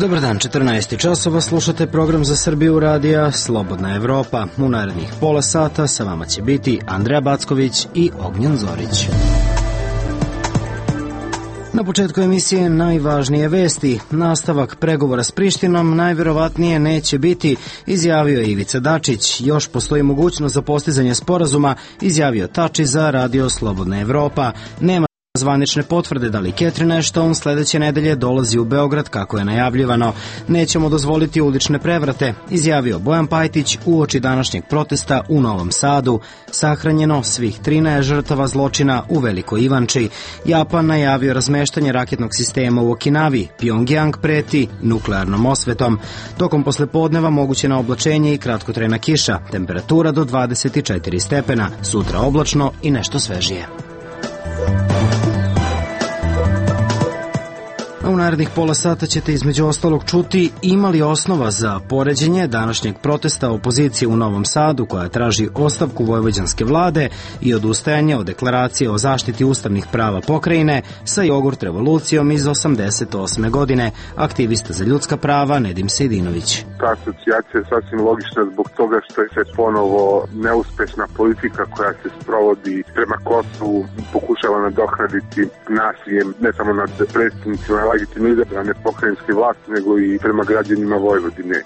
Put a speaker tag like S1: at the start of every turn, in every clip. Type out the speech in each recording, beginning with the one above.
S1: Dobar dan, 14 časova, slušate program za Srbiju radija Slobodna Evropa. U narednih pola sata sa vama će biti Andreja Backović i Ognjen Zorić. Na početku emisije najvažnije vesti. Nastavak pregovora s Prištinom najverovatnije neće biti, izjavio je Ivica Dačić. Još postoji mogućnost za postizanje sporazuma, izjavio Tači za radio Slobodna Evropa. Nema zvanične potvrde da li Catherine Ashton sledeće nedelje dolazi u Beograd kako je najavljivano. Nećemo dozvoliti ulične prevrate, izjavio Bojan Pajtić uoči današnjeg protesta u Novom Sadu. Sahranjeno svih 13 žrtava zločina u Velikoj Ivanči. Japan najavio razmeštanje raketnog sistema u Okinavi. Pjongjang preti nuklearnom osvetom. Tokom poslepodneva moguće na oblačenje i kratkotrajna kiša. Temperatura do 24 stepena. Sutra oblačno i nešto svežije. A u narednih pola sata ćete između ostalog čuti ima li osnova za poređenje današnjeg protesta opozicije u Novom Sadu koja traži ostavku vojvođanske vlade i odustajanje od deklaracije o zaštiti ustavnih prava pokrajine sa jogurt revolucijom iz 88. godine. Aktivista za ljudska prava Nedim Sejdinović.
S2: Ta asocijacija je sasvim logična zbog toga što je se ponovo neuspešna politika koja se sprovodi prema Kosovu pokušava nadoknaditi nasiljem ne samo nad predstavnicima legitimno izabrane pokrajinske vlasti, nego i prema građanima Vojvodine.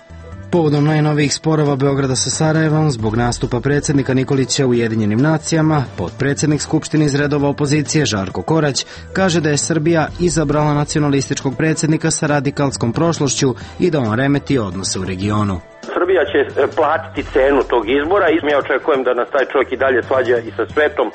S1: Povodom najnovijih sporova Beograda sa Sarajevom zbog nastupa predsjednika Nikolića u Ujedinjenim nacijama, potpredsjednik Skupštine iz redova opozicije Žarko Korać kaže da je Srbija izabrala nacionalističkog predsjednika sa radikalskom prošlošću i da on remeti odnose u regionu.
S3: Srbija će platiti cenu tog izbora i ja očekujem da nas taj čovjek i dalje svađa i sa svetom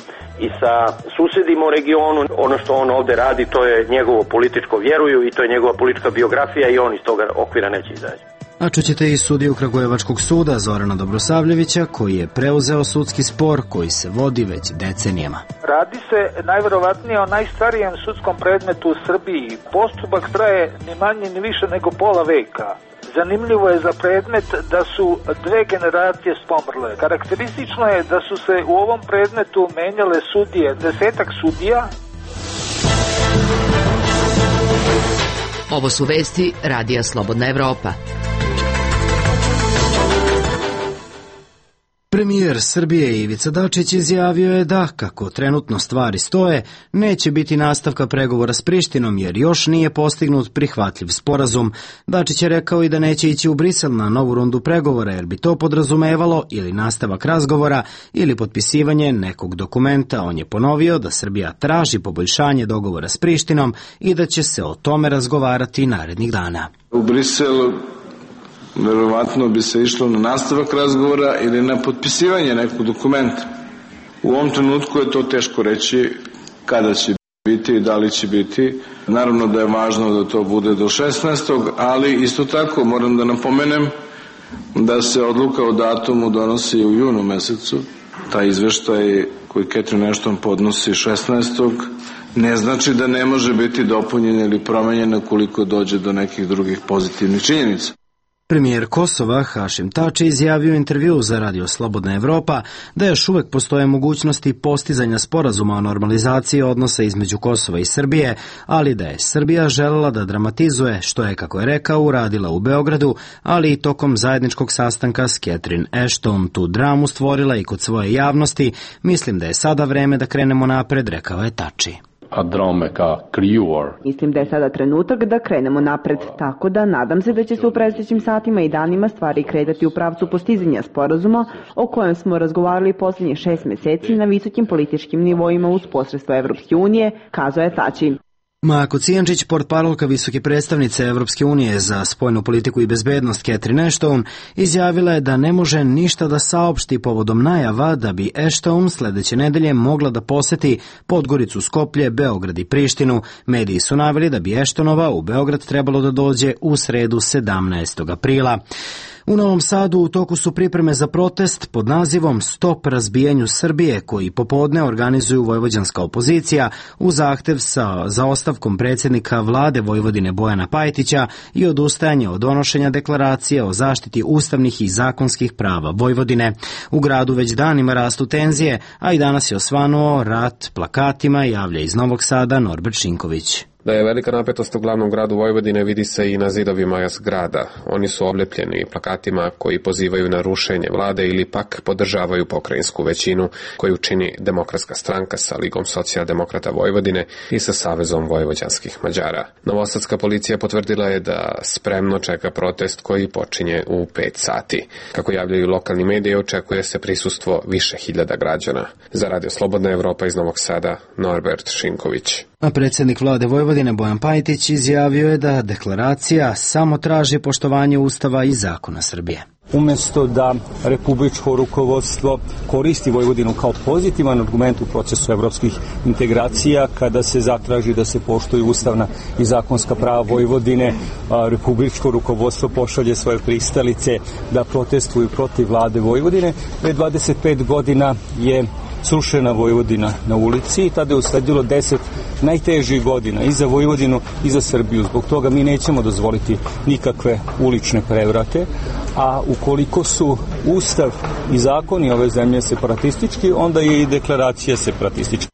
S3: i sa susedima u regionu. Ono što on ovde radi, to je njegovo političko vjeruju i to je njegova politička biografija i on iz toga okvira neće izaći.
S1: A čućete i sudiju Kragujevačkog suda Zorana Dobrosavljevića koji je preuzeo sudski spor koji se vodi već decenijama.
S4: Radi se najverovatnije o najstarijem sudskom predmetu u Srbiji. Postupak traje ni manje ni više nego pola veka. Zanimljivo je za predmet da su dve generacije pomrle. Karakteristično je da su se u ovom predmetu menjale sudije, 10-ak sudija.
S5: Ovo su vesti Radija Slobodna Evropa.
S1: Premijer Srbije Ivica Dačić izjavio je da, kako trenutno stvari stoje, neće biti nastavka pregovora s Prištinom jer još nije postignut prihvatljiv sporazum. Dačić je rekao i da neće ići u Brisel na novu rundu pregovora jer bi to podrazumevalo ili nastavak razgovora ili potpisivanje nekog dokumenta. On je ponovio da Srbija traži poboljšanje dogovora s Prištinom i da će se o tome razgovarati narednih dana.
S6: U Briselu verovatno bi se išlo na nastavak razgovora ili na potpisivanje nekog dokumenta. U ovom trenutku je to teško reći kada će biti i da li će biti. Naravno da je važno da to bude do 16. ali isto tako moram da napomenem da se odluka o datumu donosi u junu mesecu. Taj izveštaj koji Catherine Ashton podnosi 16. ne znači da ne može biti dopunjen ili promenjen ukoliko dođe do nekih drugih pozitivnih činjenica.
S1: Premijer Kosova Hašim Tači izjavio u intervjuu za radio Slobodna Evropa da još uvek postoje mogućnosti postizanja sporazuma o normalizaciji odnosa između Kosova i Srbije, ali da je Srbija želela da dramatizuje, što je, kako je rekao, uradila u Beogradu, ali i tokom zajedničkog sastanka s Catherine Ashton tu dramu stvorila i kod svoje javnosti. Mislim da je sada vreme da krenemo napred, rekao je Tači.
S7: Mislim da je sada trenutak da krenemo napred, tako da nadam se da će se u predstojećim satima i danima stvari kretati u pravcu postizanja sporazuma o kojem smo razgovarali posljednjih 6 meseci na visokim političkim nivoima uz posredstvo Evropske unije, kazao je Tači.
S1: Mako Cijančić, portparolka visoke predstavnice Evropske unije za spoljnu politiku i bezbednost Catherine Ashton, izjavila je da ne može ništa da saopšti povodom najava da bi Ashton sledeće nedelje mogla da poseti Podgoricu, Skoplje, Beograd i Prištinu. Mediji su naveli da bi Ashtonova u Beograd trebalo da dođe u sredu 17. aprila. U Novom Sadu u toku su pripreme za protest pod nazivom Stop razbijanju Srbije, koji popodne organizuju vojvođanska opozicija u zahtev za ostavkom predsjednika vlade Vojvodine Bojana Pajtića i odustajanje od donošenja deklaracije o zaštiti ustavnih i zakonskih prava Vojvodine. U gradu već danima rastu tenzije, a i danas je osvanuo rat plakatima, javlja iz Novog Sada Norbert Šinković.
S8: Da je velika napetost u glavnom gradu Vojvodine vidi se i na zidovima zgrada. Oni su oblepljeni plakatima koji pozivaju na rušenje vlade ili pak podržavaju pokrajinsku većinu koju čini Demokratska stranka sa Ligom socijaldemokrata Vojvodine i sa Savezom vojvođanskih Mađara. Novosadska policija potvrdila je da spremno čeka protest koji počinje u 5 sati. Kako javljaju lokalni mediji, očekuje se prisustvo više hiljada građana. Za Radio Slobodna Evropa iz Novog Sada, Norbert Šinković.
S1: A predsjednik vlade Vojvodine Bojan Pajtić izjavio je da deklaracija samo traži poštovanje Ustava i zakona Srbije.
S9: Umesto da republičko rukovodstvo koristi Vojvodinu kao pozitivan argument u procesu evropskih integracija, kada se zatraži da se poštuju ustavna i zakonska prava Vojvodine, republičko rukovodstvo pošalje svoje pristalice da protestuju protiv vlade Vojvodine. Pre 25 godina je srušena Vojvodina na ulici i tada je usledilo 10 najtežih godina i za Vojvodinu i za Srbiju. Zbog toga mi nećemo dozvoliti nikakve ulične prevrate, a ukoliko su Ustav i zakoni ove zemlje separatistički, onda je i deklaracija separatistička.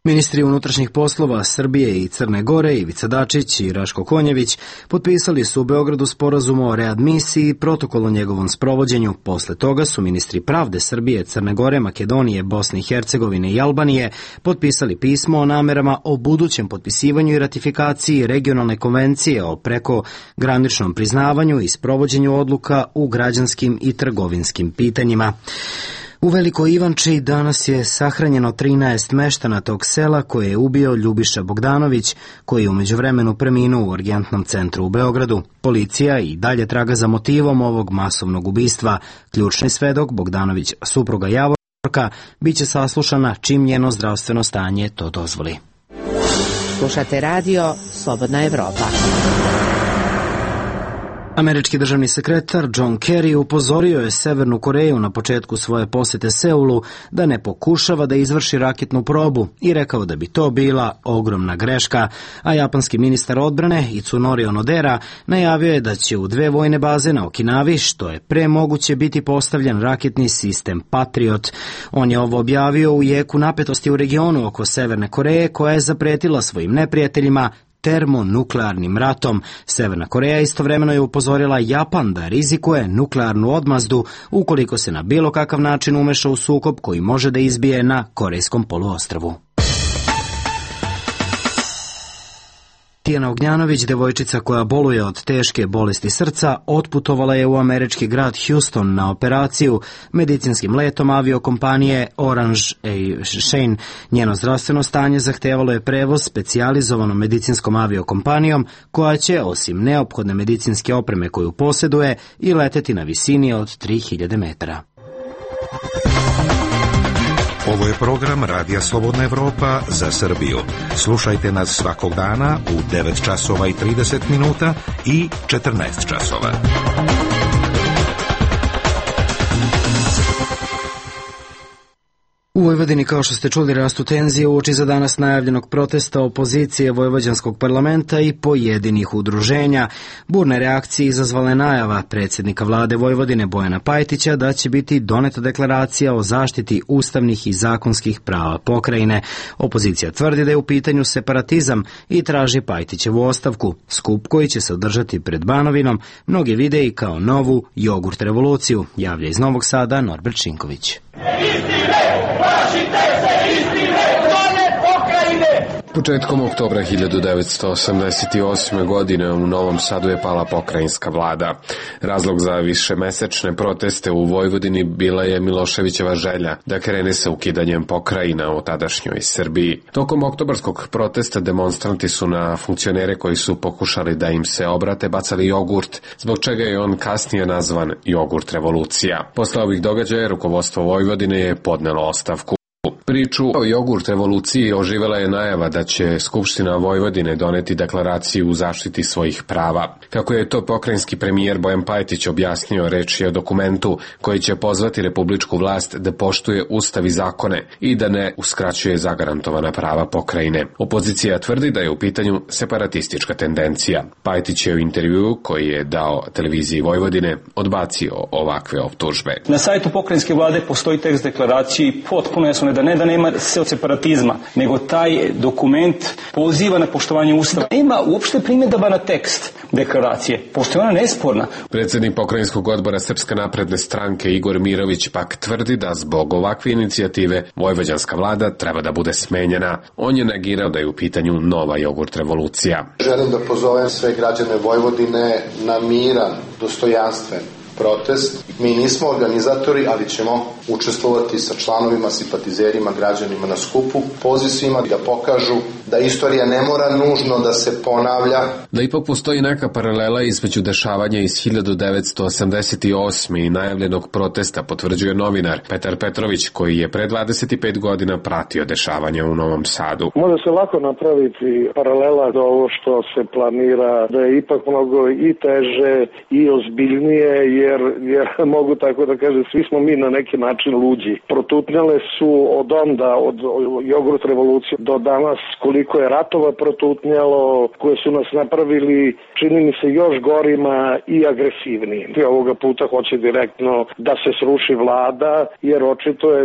S1: Ministri unutrašnjih poslova Srbije i Crne Gore Ivica Dačić i Raško Konjević potpisali su u Beogradu sporazum o readmisiji i protokol o njegovom sprovođenju. Posle toga su ministri pravde Srbije, Crne Gore, Makedonije, Bosne i Hercegovine i Albanije potpisali pismo o namerama o budućem potpisivanju i ratifikaciji regionalne konvencije o prekograničnom priznavanju i sprovođenju odluka u građanskim i trgovinskim pitanjima. U Velikoj Ivanči danas je sahranjeno 13 meštana tog sela koje je ubio Ljubiša Bogdanović, koji je u međuvremenu preminuo u urgentnom centru u Beogradu. Policija i dalje traga za motivom ovog masovnog ubistva. Ključni svedok, Bogdanović supruga Javorka, biće saslušana čim njeno zdravstveno stanje to dozvoli.
S5: Slušate radio Slobodna Evropa.
S1: Američki državni sekretar John Kerry upozorio je Severnu Koreju na početku svoje posete Seulu da ne pokušava da izvrši raketnu probu i rekao da bi to bila ogromna greška, a japanski ministar odbrane Itsunori Onodera najavio je da će u 2 vojne baze na Okinavi, što je pre moguće biti postavljen raketni sistem Patriot. On je ovo objavio u jeku napetosti u regionu oko Severne Koreje, koja je zapretila svojim neprijateljima termonuklearnim ratom. Severna Koreja istovremeno je upozorila Japan da rizikuje nuklearnu odmazdu ukoliko se na bilo kakav način umeša u sukob koji može da izbije na Korejskom poluostrvu. Tijana Ognjanović, devojčica koja boluje od teške bolesti srca, otputovala je u američki grad Houston na operaciju medicinskim letom aviokompanije Orange Shane. Njeno zdravstveno stanje zahtevalo je prevoz specijalizovanom medicinskom aviokompanijom koja će, osim neophodne medicinske opreme koju posjeduje, i leteti na visini od 3000 metara.
S10: Ovo je program Radija Slobodna Evropa za Srbiju. Slušajte nas svakog dana u 9 časova i 30 minuta i 14 časova.
S1: U Vojvodini, kao što ste čuli, rastu tenzije uoči za danas najavljenog protesta opozicije Vojvođanskog parlamenta i pojedinih udruženja. Burne reakcije izazvala najava predsjednika vlade Vojvodine Bojana Pajtića da će biti doneta deklaracija o zaštiti ustavnih i zakonskih prava pokrajine. Opozicija tvrdi da je u pitanju separatizam i traži Pajtićevu ostavku. Skup koji će se održati pred Banovinom mnogi vide i kao novu jogurt revoluciju, javlja iz Novog Sada Norbert Šinković.
S8: Početkom oktobra 1988. godine u Novom Sadu je pala pokrajinska vlada. Razlog za višemesečne proteste u Vojvodini bila je Miloševićeva želja da krene sa ukidanjem pokrajina u tadašnjoj Srbiji. Tokom oktobarskog protesta demonstranti su na funkcionere koji su pokušali da im se obrate bacali jogurt, zbog čega je on kasnije nazvan jogurt revolucija. Posle ovih događaja rukovodstvo Vojvodine je podnelo ostavku. Priču o jogurt revoluciji oživela je najava da će Skupština Vojvodine doneti deklaraciju u zaštiti svojih prava. Kako je to pokrajinski premijer Bojan Pajtić objasnio, reč je o dokumentu koji će pozvati republičku vlast da poštuje ustav i zakone i da ne uskraćuje zagarantovana prava pokrajine. Opozicija tvrdi da je u pitanju separatistička tendencija. Pajtić je u intervjuu koji je dao televiziji Vojvodine odbacio ovakve optužbe.
S9: Na sajtu pokrajinske vlade postoji tekst deklaracije i potpuno jasno da nema se od separatizma, nego taj dokument poziva na poštovanje ustava. Nema uopšte primjedaba na tekst deklaracije, pošto je ona nesporna.
S8: Predsjednik pokrajinskog odbora Srpske napredne stranke Igor Mirović pak tvrdi da zbog ovakve inicijative vojvođanska vlada treba da bude smenjena. On je negirao da je u pitanju nova jogurt revolucija.
S11: Želim da pozovem sve građane Vojvodine na miran, dostojanstven protest. Mi nismo organizatori, ali ćemo učestvovati sa članovima, simpatizerima, građanima na skupu. Poziv svima da pokažu da istorija ne mora nužno da se ponavlja.
S8: Da ipak postoji neka paralela između dešavanja iz 1988. i najavljenog protesta, potvrđuje novinar Petar Petrović, koji je pre 25 godina pratio dešavanja u Novom Sadu.
S12: Može se lako napraviti paralela do ovo što se planira, da je ipak mnogo i teže i ozbiljnije, jer mogu tako da kažem, svi smo mi na neki način luđi. Protutnjale su od onda, od jogurt revolucije do danas, koliko je ratova protutnjalo, koje su nas napravili, čini mi se, još gorima i agresivniji. Ovoga puta hoće direktno da se sruši vlada, jer očito je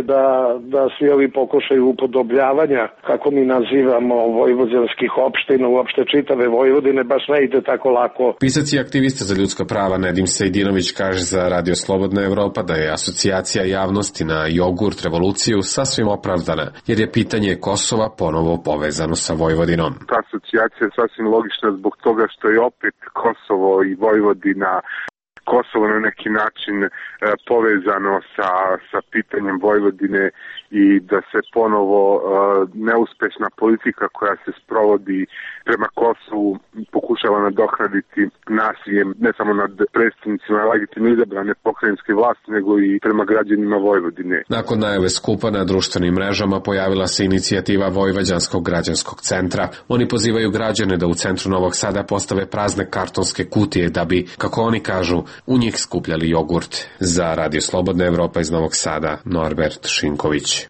S12: da svi ovi pokušaju upodobljavanja, kako mi nazivamo, vojvođanskih opština, uopšte čitave Vojvodine, baš ne ide tako lako.
S8: Pisac i aktivista za ljudska prava Nedim Sejdinović kaže za Radio Slobodna Evropa da je asocijacija javnosti na jogurt revoluciju sasvim opravdana, jer je pitanje Kosova ponovo povezano sa Vojvodinom.
S2: Ta asocijacija je sasvim logična zbog toga što je opet Kosovo i Vojvodina, Kosovo na neki način povezano sa pitanjem Vojvodine i da se ponovo neuspešna politika koja se sprovodi prema Kosovu pokušava nadoknaditi nasiljem ne samo nad predstavnicima legitimno izabrane pokrajinske vlasti, nego i prema građanima Vojvodine.
S8: Nakon najave skupa na društvenim mrežama pojavila se inicijativa Vojvođanskog građanskog centra. Oni pozivaju građane da u centru Novog Sada postave prazne kartonske kutije da bi, kako oni kažu, u njih skupljali jogurt. Za Radio Slobodna Evropa iz Novog Sada, Norbert Šinković.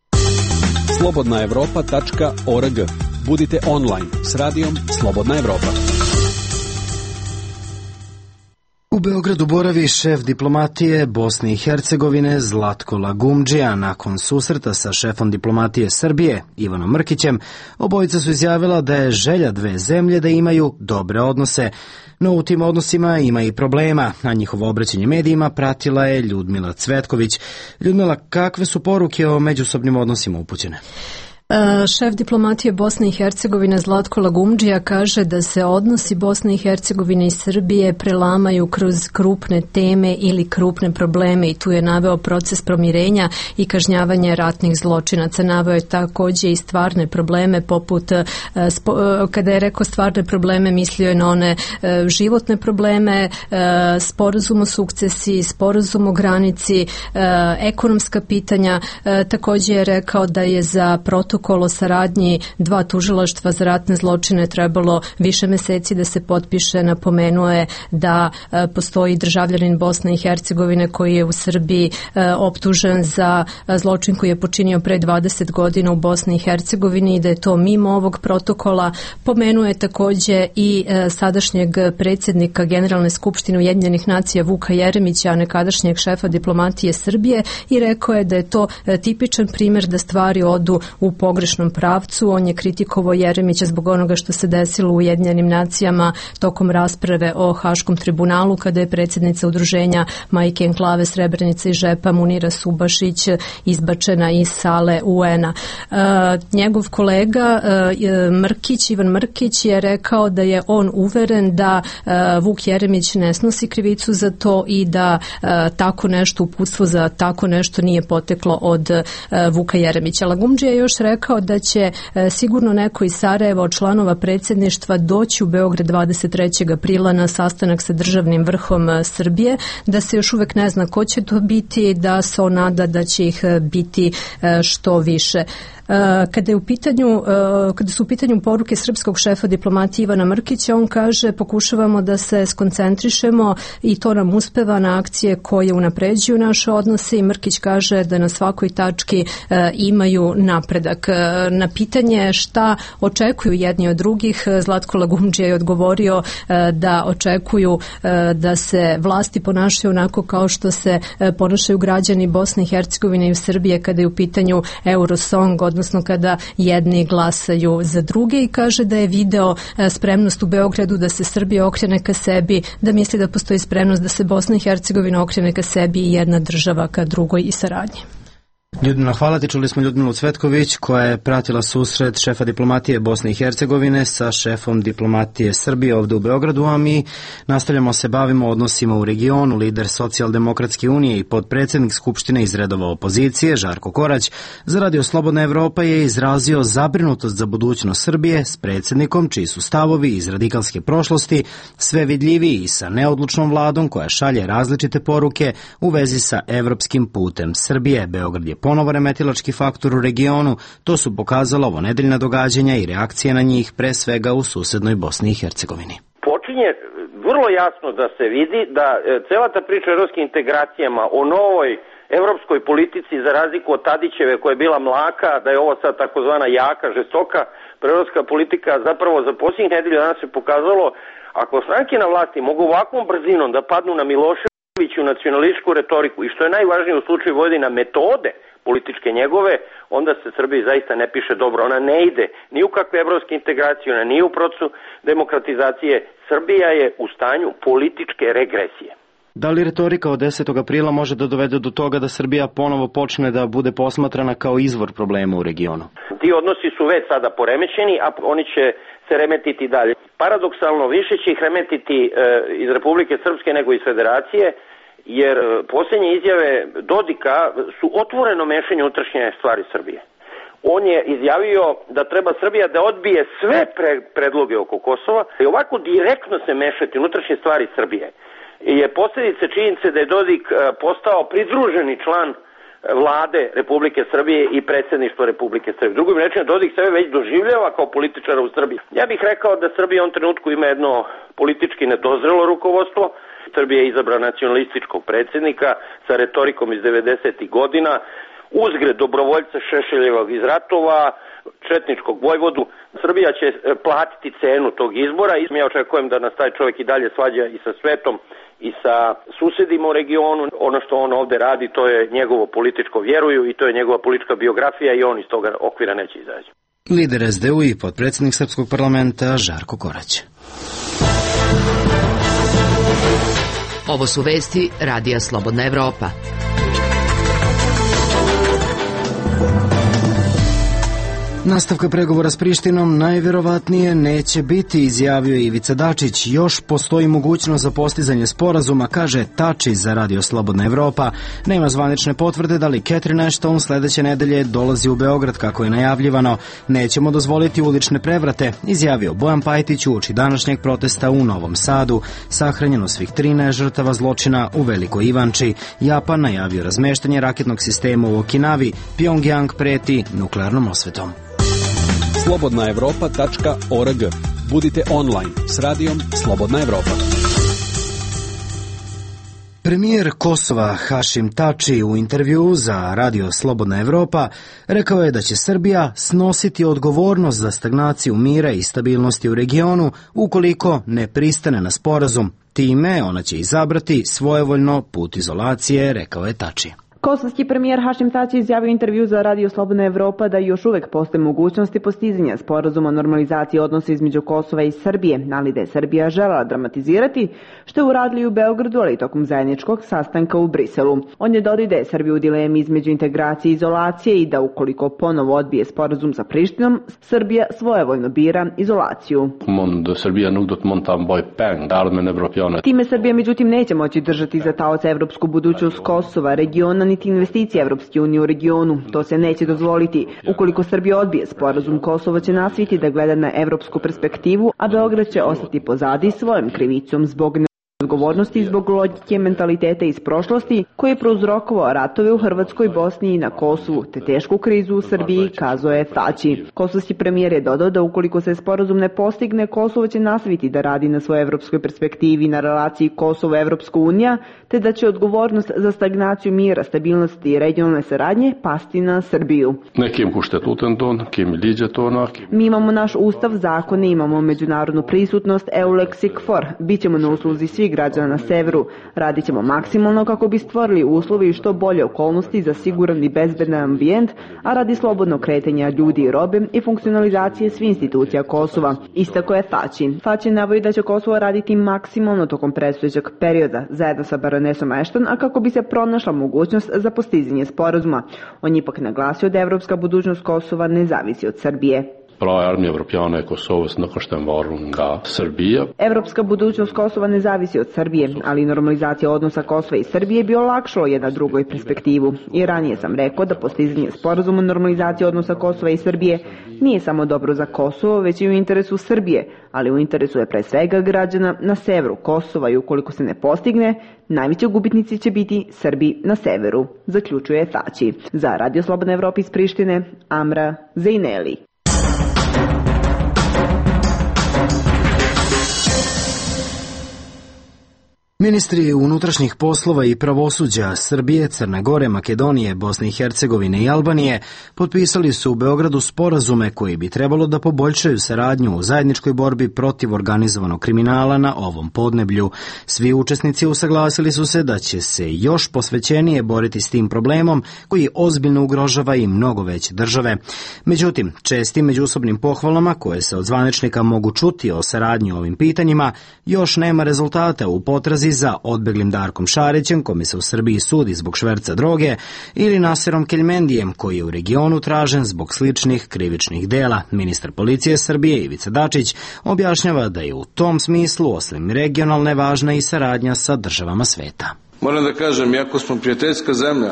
S13: slobodnaevropa.org. Budite online s radijom Slobodna Evropa.
S1: U Beogradu boravi šef diplomatije Bosne i Hercegovine Zlatko Lagumdžija. Nakon susreta sa šefom diplomatije Srbije Ivanom Mrkićem, obojica su izjavila da je želja dve zemlje da imaju dobre odnose. No u tim odnosima ima i problema, a njihovo obraćanje medijima pratila je Ljudmila Cvetković. Ljudmila, kakve su poruke o međusobnim odnosima upućene?
S14: Šef diplomatije Bosne i Hercegovine Zlatko Lagumdžija kaže da se odnosi Bosne i Hercegovine i Srbije prelamaju kroz krupne teme ili krupne probleme i tu je naveo proces pomirenja i kažnjavanje ratnih zločinaca. Naveo je također i stvarne probleme poput, kada je rekao stvarne probleme, mislio je na one životne probleme, sporazum o sukcesiji, sporazum o granici, ekonomska pitanja. Također je rekao da je za protokol o saradnji dva tužilaštva za ratne zločine trebalo više meseci da se potpiše. Napomenuo je da postoji državljanin Bosne i Hercegovine koji je u Srbiji optužen za zločin koji je počinio pre 20 godina u Bosni i Hercegovini i da je to mimo ovog protokola. Pomenuo je također i sadašnjeg predsjednika Generalne skupštine Ujedinjenih nacija Vuka Jeremića, a nekadašnjeg šefa diplomatije Srbije, i rekao je da je to tipičan primjer da stvari odu u pogrešnom pravcu. On je kritikovao Jeremića zbog onoga što se desilo u Ujedinjenim nacijama tokom rasprave o Haškom tribunalu, kada je predsjednica udruženja Majke Enklave Srebrenica i Žepa Munira Subašić izbačena iz sale UN-a. Njegov kolega Ivan Mrkić je rekao da je on uveren da Vuk Jeremić ne snosi krivicu za to i da tako nešto, uputstvo za tako nešto nije poteklo od Vuka Jeremića. Lagumdžija je još rekao da će sigurno neko iz Sarajeva od članova predsjedništva doći u Beograd 23. aprila na sastanak sa državnim vrhom Srbije, da se još uvek ne zna ko će to biti, da se on nada da će ih biti što više. Kada su u pitanju poruke srpskog šefa diplomatije Ivana Mrkića, on kaže pokušavamo da se skoncentrišemo i to nam uspeva na akcije koje unapređuju naše odnose i Mrkić kaže da na svakoj tački imaju napredak. Na pitanje šta očekuju jedni od drugih, Zlatko Lagumdžija je odgovorio da očekuju da se vlasti ponašaju onako kao što se ponašaju građani Bosne i Hercegovine i Srbije kada je u pitanju Eurosong, odnosno kada jedni glasaju za druge i kaže da je video spremnost u Beogradu da se Srbija okrene ka sebi, da misli da postoji spremnost da se Bosna i Hercegovina okrene ka sebi i jedna država ka drugoj i saradnji.
S1: Ljudmila, hvala ti. Čuli smo Ljudmilu Cvetković koja je pratila susret šefa diplomatije Bosne i Hercegovine sa šefom diplomatije Srbije ovde u Beogradu, a mi nastavljamo se bavimo odnosima u regionu. Lider Socijaldemokratske unije i podpredsednik Skupštine iz redova opozicije Žarko Korać za Radio Slobodna Evropa je izrazio zabrinutost za budućnost Srbije s predsednikom čiji su stavovi iz radikalske prošlosti sve vidljiviji i sa neodlučnom vladom koja šalje različite poruke u vezi sa evropskim putem Srbije. Beograd je ponovo remetilački faktor u regionu, to su pokazala ovonedeljna događanja i reakcije na njih, pre svega u susednoj Bosni i Hercegovini.
S3: Počinje vrlo jasno da se vidi da cela ta priča o evropskim integracijama, o novoj evropskoj politici za razliku od Tadićeve koja je bila mlaka, da je ovo sad takozvana jaka, žestoka proevropska politika, zapravo za posljednjih nedelja danas se pokazalo, ako stranke na vlasti mogu ovakvom brzinom da padnu na Miloševiću nacionalističku retoriku i što je najvažnije u slučaju Vojvodina metode političke njegove, onda se Srbiji zaista ne piše dobro. Ona ne ide ni u kakve evropske integracije, ona nije u procesu demokratizacije. Srbija je u stanju političke regresije.
S1: Da li retorika od 10. aprila može da dovede do toga da Srbija ponovo počne da bude posmatrana kao izvor problema u regionu?
S3: Ti odnosi su već sada poremećeni, a oni će se remetiti dalje. Paradoksalno, više će ih remetiti iz Republike Srpske nego iz Federacije, jer posljednje izjave Dodika su otvoreno mešanje unutrašnje stvari Srbije. On je izjavio da treba Srbija da odbije sve predloge oko Kosova i ovako direktno se mešati unutrašnje stvari Srbije je posljedica činjenice da je Dodik postao pridruženi član vlade Republike Srbije i predsjedništva Republike Srbije. Drugim rečima, Dodik sebe već doživljava kao političara u Srbiji. Ja bih rekao da Srbija u ovom trenutku ima jedno politički nedozrelo rukovodstvo. Srbija je izabra nacionalističkog predsjednika sa retorikom iz 90. godina, uzgred dobrovoljca Šešeljevog iz ratova, četničkog vojvodu. Srbija će platiti cenu tog izbora i ja očekujem da nas taj čovjek i dalje svađa i sa svetom i sa susedima u regionu. Ono što on ovde radi, to je njegovo političko vjeruju i to je njegova politička biografija i on iz toga okvira neće izaći.
S1: Lider SDU i podpredsednik Srpskog parlamenta Žarko Korać.
S5: Ovo su vesti Radija Slobodna Evropa.
S1: Nastavka pregovora s Prištinom najvjerovatnije neće biti, izjavio Ivica Dačić. Još postoji mogućnost za postizanje sporazuma, kaže Tači za Radio Slobodna Evropa. Nema zvanične potvrde da li Catherine Ashton sledeće nedelje dolazi u Beograd kako je najavljivano. Nećemo dozvoliti ulične prevrate, izjavio Bojan Pajtić uoči današnjeg protesta u Novom Sadu. Sahranjeno svih 13 žrtava zločina u Velikoj Ivanči. Japan najavio razmeštanje raketnog sistema u Okinavi. Pjongjang preti nuklearnom osvetom.
S13: slobodnaevropa.org. Budite online s radijom Slobodna Evropa.
S1: Premijer Kosova Hašim Tači u intervju za Radio Slobodna Evropa rekao je da će Srbija snositi odgovornost za stagnaciju mira i stabilnosti u regionu ukoliko ne pristane na sporazum. Time ona će izabrati svojevoljno put izolacije, rekao je Tači.
S7: Kosovski premijer Hašim Tači izjavio intervju za Radio Slobodna Evropa da još uvek postoje mogućnosti postizanja sporazuma o normalizaciji odnosa između Kosova i Srbije, ali da je Srbija želela dramatizirati, što je uradili u Beogradu, ali i tokom zajedničkog sastanka u Briselu. On je dodao da je Srbija u dilemi između integracije i izolacije i da ukoliko ponovo odbije sporazum sa Prištinom, Srbija svojevoljno bira izolaciju. Time Srbija međutim neće moći držati za taoca evropsku budućnost Kosova, regiona niti investicije Evropske unije u regionu. To se neće dozvoliti. Ukoliko Srbija odbije sporazum, Kosovo će nastaviti da gleda na evropsku perspektivu, a Beograd će ostati pozadi svojom krivicom zbog odgovornosti zbog logike mentaliteta iz prošlosti koji je prouzrokovao ratove u Hrvatskoj, Bosni i na Kosovu, te tešku krizu u Srbiji, kazao je Tači. Kosovski premijer je dodao da ukoliko se sporazum ne postigne, Kosovo će nastaviti da radi na svojoj evropskoj perspektivi na relaciji Kosovo-Evropska unija, te da će odgovornost za stagnaciju mira, stabilnosti i regionalne saradnje pasti na Srbiju. Mi imamo naš ustav, zakone, imamo međunarodnu prisutnost, EULEX i KFOR. Bićemo na usluzi svih građana na severu. Radit ćemo maksimalno kako bi stvorili uslovi i što bolje okolnosti za siguran i bezbedan ambijent, a radi slobodnog kretanja ljudi i robe i funkcionalizacije svih institucija Kosova. Istako je Tači. Tači navodi da će Kosovo raditi maksimalno tokom predstojećeg perioda, zajedno sa baronesom Ashton, a kako bi se pronašla mogućnost za postizanje sporazuma. On je ipak naglasio da evropska budućnost Kosova ne zavisi od Srbije. Evropska budućnost Kosova ne zavisi od Srbije, ali normalizacija odnosa Kosova i Srbije bi olakšalo jedna drugoj perspektivu. I ranije sam rekao da postizanje sporazuma normalizacije odnosa Kosova i Srbije nije samo dobro za Kosovo, već i u interesu Srbije, ali u interesu je pre svega građana na severu Kosova i ukoliko se ne postigne, najveći gubitnici će biti Srbi na severu, zaključuje Tači. Za Radio Slobodna Evropa iz Prištine, Amra Zejneli.
S1: Ministri unutrašnjih poslova i pravosuđa Srbije, Crne Gore, Makedonije, Bosne i Hercegovine i Albanije potpisali su u Beogradu sporazume koji bi trebalo da poboljšaju saradnju u zajedničkoj borbi protiv organizovanog kriminala na ovom podneblju. Svi učesnici usaglasili su se da će se još posvećenije boriti s tim problemom koji ozbiljno ugrožava i mnogo veće države. Međutim, čestim međusobnim pohvalama koje se od zvaničnika mogu čuti o saradnji o ovim pitanjima, još nema rezultata u potrazi za odbeglim Darkom Šarićem, kome se u Srbiji sudi zbog šverca droge, ili Naserom Keljmendijem, koji je u regionu tražen zbog sličnih krivičnih dela. Ministar policije Srbije Ivica Dačić objašnjava da je u tom smislu, osim regionalne, važna i saradnja sa državama sveta.
S6: Moram da kažem, iako smo prijateljska zemlja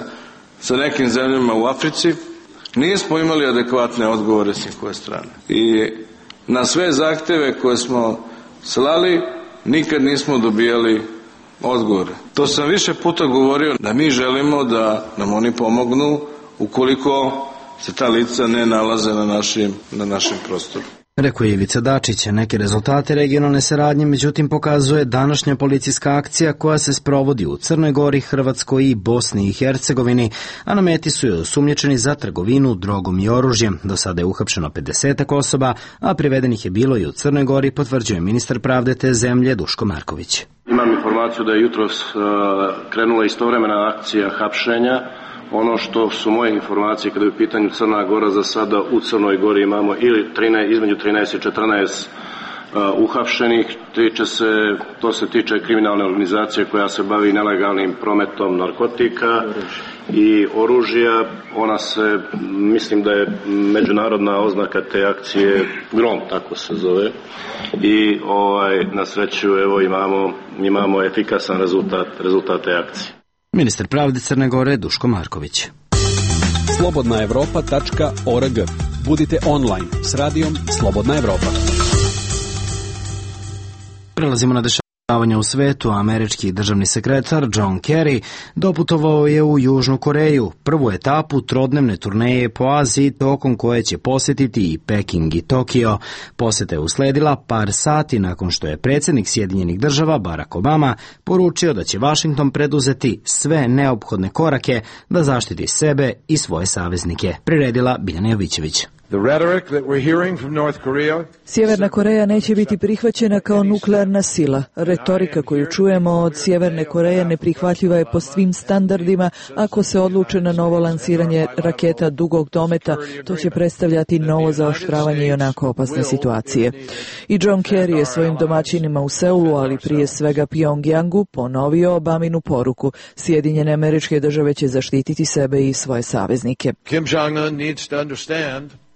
S6: sa nekim zemljama u Africi, nismo imali adekvatne odgovore s njihove strane. I na sve zahteve koje smo slali, nikad nismo dobijali odgovore. To sam više puta govorio da mi želimo da nam oni pomognu ukoliko se ta lica ne nalaze na našem prostoru.
S1: Rekao je Ivica Dačić. Neke rezultate regionalne saradnje međutim pokazuje današnja policijska akcija koja se sprovodi u Crnoj Gori, Hrvatskoj i Bosni i Hercegovini, a na meti su joj osumnjičeni za trgovinu drogom i oružjem. Do sada je uhapšeno 50 osoba, a privedenih je bilo i u Crnoj Gori, potvrđuje ministar pravde te zemlje Duško Marković.
S15: Imam informaciju da je jutros krenula istovremena akcija hapšenja. Ono što su moje informacije kada je u pitanju Crna Gora, za sada u Crnoj Gori imamo između 13 i 14 uhapšenih. To se tiče kriminalne organizacije koja se bavi nelegalnim prometom narkotika i oružja. Ona se, mislim da je međunarodna oznaka te akcije Grom, tako se zove. I na sreću imamo efikasan rezultat te akcije.
S1: Ministar pravde Crne Gore Duško Marković.
S13: slobodnaevropa.org. Budite online s radijom Slobodna Evropa.
S1: Prelazimo na dešavanja u svetu. Američki državni sekretar John Kerry doputovao je u Južnu Koreju, prvu etapu trodnevne turneje po Aziji, tokom koje će posjetiti i Peking i Tokio. Posjeta je usledila par sati nakon što je predsjednik Sjedinjenih Država Barack Obama poručio da će Washington preduzeti sve neophodne korake da zaštiti sebe i svoje saveznike. Priredila Biljana Jovićević.
S16: Sjeverna Koreja neće biti prihvaćena kao nuklearna sila. Retorika koju čujemo od Sjeverne Koreje neprihvatljiva je po svim standardima. Ako se odluče na novo lansiranje raketa dugog dometa, to će predstavljati novo zaoštravanje i onako opasne situacije. I John Kerry je svojim domaćinima u Seulu, ali prije svega Pjongjangu, ponovio Obaminu poruku. Sjedinjene Američke Države će zaštititi sebe i svoje saveznike.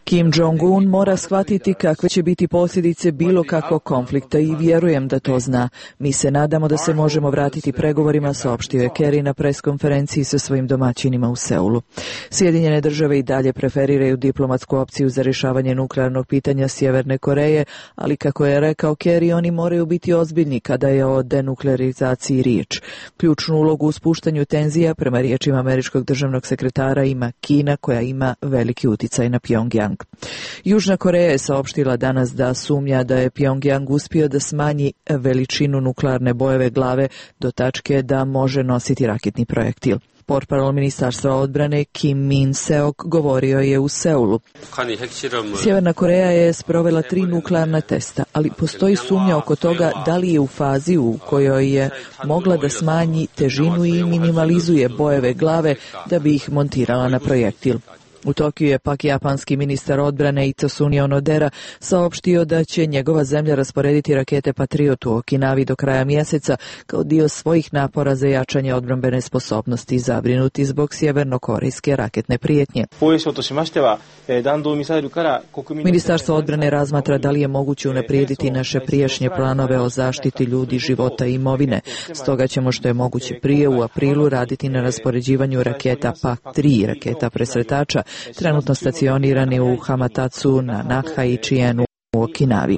S16: Kim Jong-un mora shvatiti kakve će biti ublažiti posljedice bilo kakvog konflikta i vjerujem da to zna. Mi se nadamo da se možemo vratiti pregovorima, saopštio je Kerry na preskonferenciji sa svojim domaćinima u Seulu. Sjedinjene države i dalje preferiraju diplomatsku opciju za rješavanje nuklearnog pitanja Sjeverne Koreje, ali kako je rekao Kerry, oni moraju biti ozbiljni kada je o denuklearizaciji riječ. Ključnu ulogu u spuštanju tenzija, prema riječima američkog državnog sekretara, ima Kina, koja ima veliki uticaj na Pjongjang. Južna Koreja je saopštila danas da sumnja da je Pjongjang uspio da smanji veličinu nuklearne bojeve glave do tačke da može nositi raketni projektil. Portparol Ministarstva odbrane Kim Min-seok govorio je u Seulu. Sjeverna Koreja je sprovela 3 nuklearna testa, ali postoji sumnja oko toga da li je u fazi u kojoj je mogla da smanji težinu i minimalizuje bojeve glave da bi ih montirala na projektil. U Tokiju je pak japanski ministar odbrane Itsunobu Onodera saopštio da će njegova zemlja rasporediti rakete Patriot u Okinavi do kraja mjeseca kao dio svojih napora za jačanje odbrambene sposobnosti, zabrinuti zbog sjevernokorejske raketne prijetnje. Ministarstvo odbrane razmatra da li je moguće unaprijediti naše prijašnje planove o zaštiti ljudi, života i imovine. Stoga ćemo što je moguće prije u aprilu raditi na raspoređivanju raketa PAK-3, raketa presretača, trenutno stacionirani u Hamamatsu, na Naha i Chienu u Okinavi.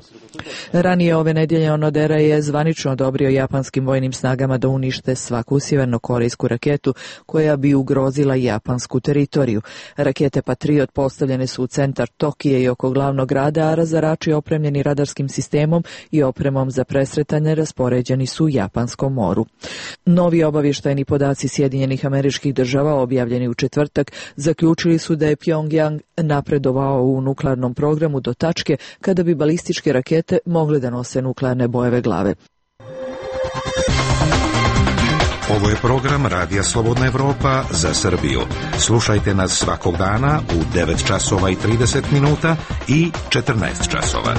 S16: Ranije ove nedjelje Onodera je zvanično odobrio japanskim vojnim snagama da unište svaku sjevernokorejsku raketu koja bi ugrozila japansku teritoriju. Rakete Patriot postavljene su u centar Tokije i oko glavnog grada, a razarači opremljeni radarskim sistemom i opremom za presretanje raspoređeni su u Japanskom moru. Novi obavještajni podaci Sjedinjenih Američkih Država, objavljeni u četvrtak, zaključili su da je Pjongjang napredovao u nuklearnom programu do tačke kada bi balističke rakete mogle da nose nuklearne bojeve glave.
S10: Ovo je program Radija Slobodna Evropa za Srbiju. Slušajte nas svakog dana u 9 časova i 30 minuta i 14 časova.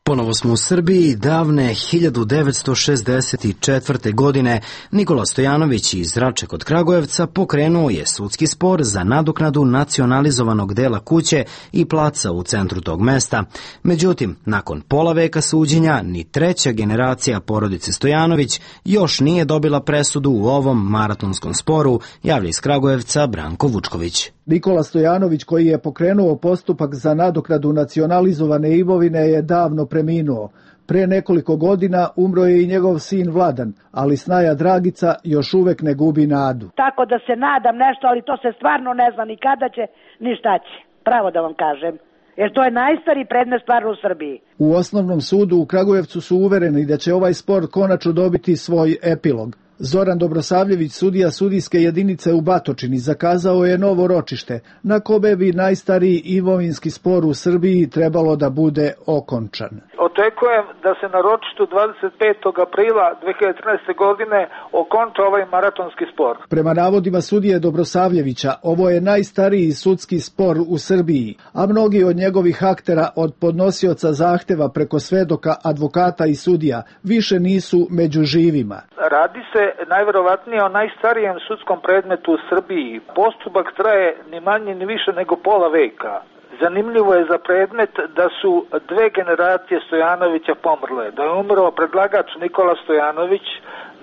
S1: Ponovo smo u Srbiji. Davne 1964. godine Nikola Stojanović iz Rače kod Kragujevca pokrenuo je sudski spor za nadoknadu nacionalizovanog dela kuće i placa u centru tog mesta. Međutim, nakon pola veka suđenja, ni treća generacija porodice Stojanović još nije dobila presudu u ovom maratonskom sporu, javlja iz Kragujevca Branko Vučković.
S17: Nikola Stojanović, koji je pokrenuo postupak za nadoknadu nacionalizovane imovine, je davno preminuo. Pre nekoliko godina umro je i njegov sin Vladan, ali snaja Dragica još uvek ne gubi nadu.
S18: Tako da se nadam nešto, ali to se stvarno ne zna ni kada će, ni šta će. Pravo da vam kažem. Jer to je najstariji predmet stvarno u Srbiji.
S17: U osnovnom sudu u Kragujevcu su uvereni da će ovaj spor konačno dobiti svoj epilog. Zoran Dobrosavljević, sudija sudijske jedinice u Batočini, zakazao je novo ročište, na kome bi najstariji imovinski spor u Srbiji trebalo da bude okončan.
S4: Očekujem da se na ročištu 25. aprila 2013. godine okonča ovaj maratonski spor.
S17: Prema navodima sudije Dobrosavljevića, ovo je najstariji sudski spor u Srbiji, a mnogi od njegovih aktera, od podnosioca zahteva preko svedoka, advokata i sudija, više nisu među živima.
S4: Radi se najverovatnije o najstarijem sudskom predmetu u Srbiji. Postupak traje ni manje ni više nego pola veka. Zanimljivo je za predmet da su 2 generacije Stojanovića pomrle. Da je umro predlagač Nikola Stojanović,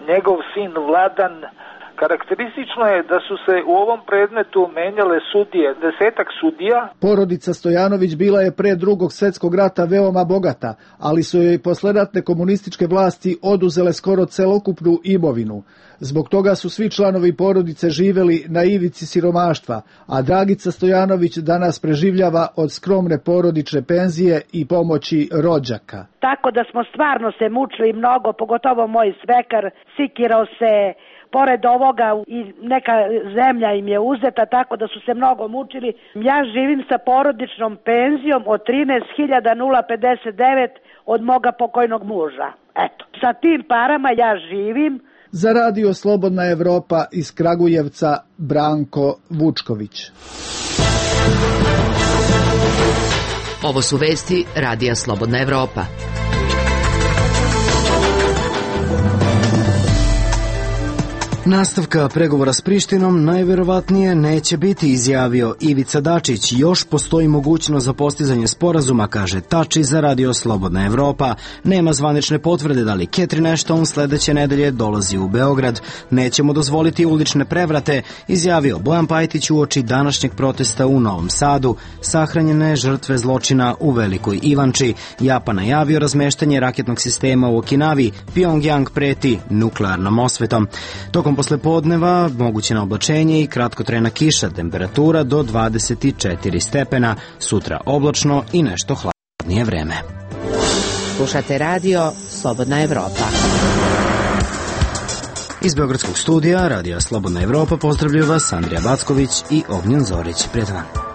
S4: njegov sin Vladan. Karakteristično je da su se u ovom predmetu menjale sudije, 10-ak sudija.
S17: Porodica Stojanović bila je pre Drugog svjetskog rata veoma bogata, ali su joj posleratne komunističke vlasti oduzele skoro celokupnu imovinu. Zbog toga su svi članovi porodice živeli na ivici siromaštva, a Dragica Stojanović danas preživljava od skromne porodične penzije i pomoći rođaka.
S18: Tako da smo stvarno se mučili mnogo, pogotovo moj svekar, sikirao se. Pored ovoga i neka zemlja im je uzeta, tako da su se mnogo mučili. Ja živim sa porodičnom penzijom od 13.059 od moga pokojnog muža. Eto, sa tim parama ja živim.
S17: Za Radio Slobodna Evropa iz Kragujevca, Branko Vučković.
S5: Ovo su vesti Radija Slobodna Evropa.
S1: Nastavka pregovora s Prištinom najverovatnije neće biti, izjavio Ivica Dačić. Još postoji mogućnost za postizanje sporazuma, kaže Tači za Radio Slobodna Evropa. Nema zvanične potvrde da li Catherine Ashton sledeće nedelje dolazi u Beograd. Nećemo dozvoliti ulične prevrate, izjavio Bojan Pajtić uoči današnjeg protesta u Novom Sadu. Sahranjene žrtve zločina u Velikoj Ivanči. Japan najavio razmeštanje raketnog sistema u Okinavi. Pyongyang preti nuklearnom osvetom. Tokom poslepodneva moguće na oblačenje i kratkotrajna kiša, temperatura do 24 stepena, sutra oblačno i nešto hladnije vreme.
S5: Slušate radio Slobodna Evropa.
S1: Iz Beogradskog studija Radija Slobodna Evropa pozdravljaju vas Andrija Backović i Ognjen Zorić. Prijatan dan.